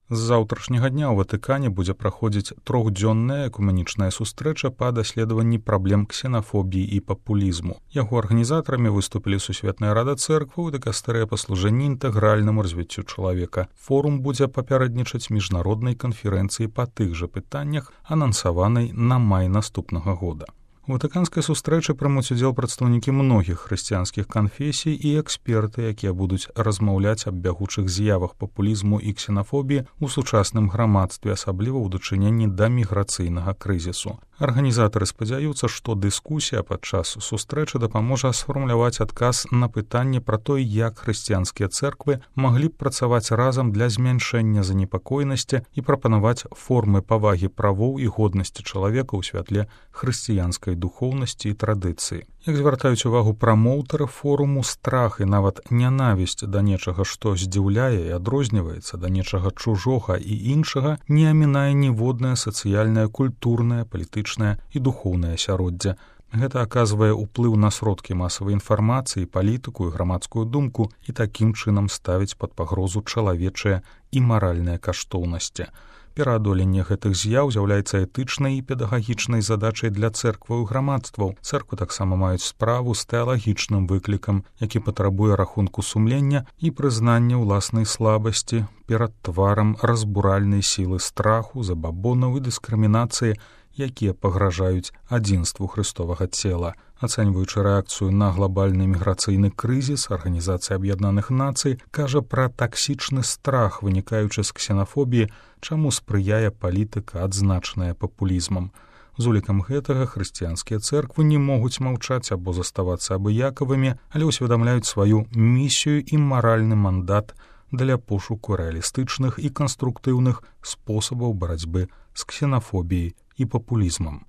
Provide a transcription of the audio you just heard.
З заўтрашняга дня ў Ватыкане будзе праходзіць трохдзённая экуменічная сустрэча па даследаванні праблем ксенафобіі і папулізму. Яго арганізатарамі выступілі Сусветная рада цэркваў і дыкастэрыя па служэнні інтэгральнаму развіццю чалавека. Форум будзе папярэднічаць міжнароднай канферэнцыі па тых жа пытаннях, анансаванай на май наступнага года. У ватыканскай сустрэчы прымуць удзел прадстаўнікі многіх хрысціянскіх канфесій і эксперты, якія будуць размаўляць аб бягучых з'явах папулізму і ксенафобіі ў сучасным грамадстве, асабліва ў дачыненні да міграцыйнага крызісу. Арганізатары спадзяюцца, што дыскусія падчас сустрэчы дапаможа сфармуляваць адказ на пытанне пра тое, як хрысціянскія цэрквы маглі б працаваць разам для змяншэння занепакоенасці і прапанаваць формы павагі правоў і годнасці чалавека ў святле хрысціянскай духоўнасці і традыцыі. Як звяртаюць увагу прамоўтары форуму, страх і нават нянавісць да нечага, што здзіўляе і адрозніваецца да нечага чужога і іншага, не амінае ніводнае сацыяльнае, культурнае, палітычнае і духоўнае асяроддзе. Гэта аказвае ўплыў на сродкі масавай інфармацыі, палітыку і грамадскую думку і такім чынам ставіць пад пагрозу чалавечыя і маральныя каштоўнасці. Пераадоленне гэтых з'яў з'яўляецца этычнай і педагагічнай задачай для цэркваў і грамадстваў. Цэрквы таксама маюць справу з тэалагічным выклікам, які патрабуе рахунку сумлення і прызнання ўласнай слабасці перад тварам разбуральнай сілы страху, забабонаў і дыскрымінацыі, якія пагражаюць адзінству Хрыстовага цела. Ацэньваючы рэакцыю на глобальны міграцыйны крызіс, Арганізацыя Аб'яднаных Нацый кажа пра таксічны страх, вынікаючы з ксенафобіі, чаму спрыяе палітыка, адзначаная папулізмам. З улікам гэтага хрысціянскія цэрквы не могуць маўчаць або заставацца абыякавымі, але ўсведамляюць сваю місію і маральны мандат для пошуку рэалістычных і канструктыўных спосабаў барацьбы з ксенафобіяй і папулізмам.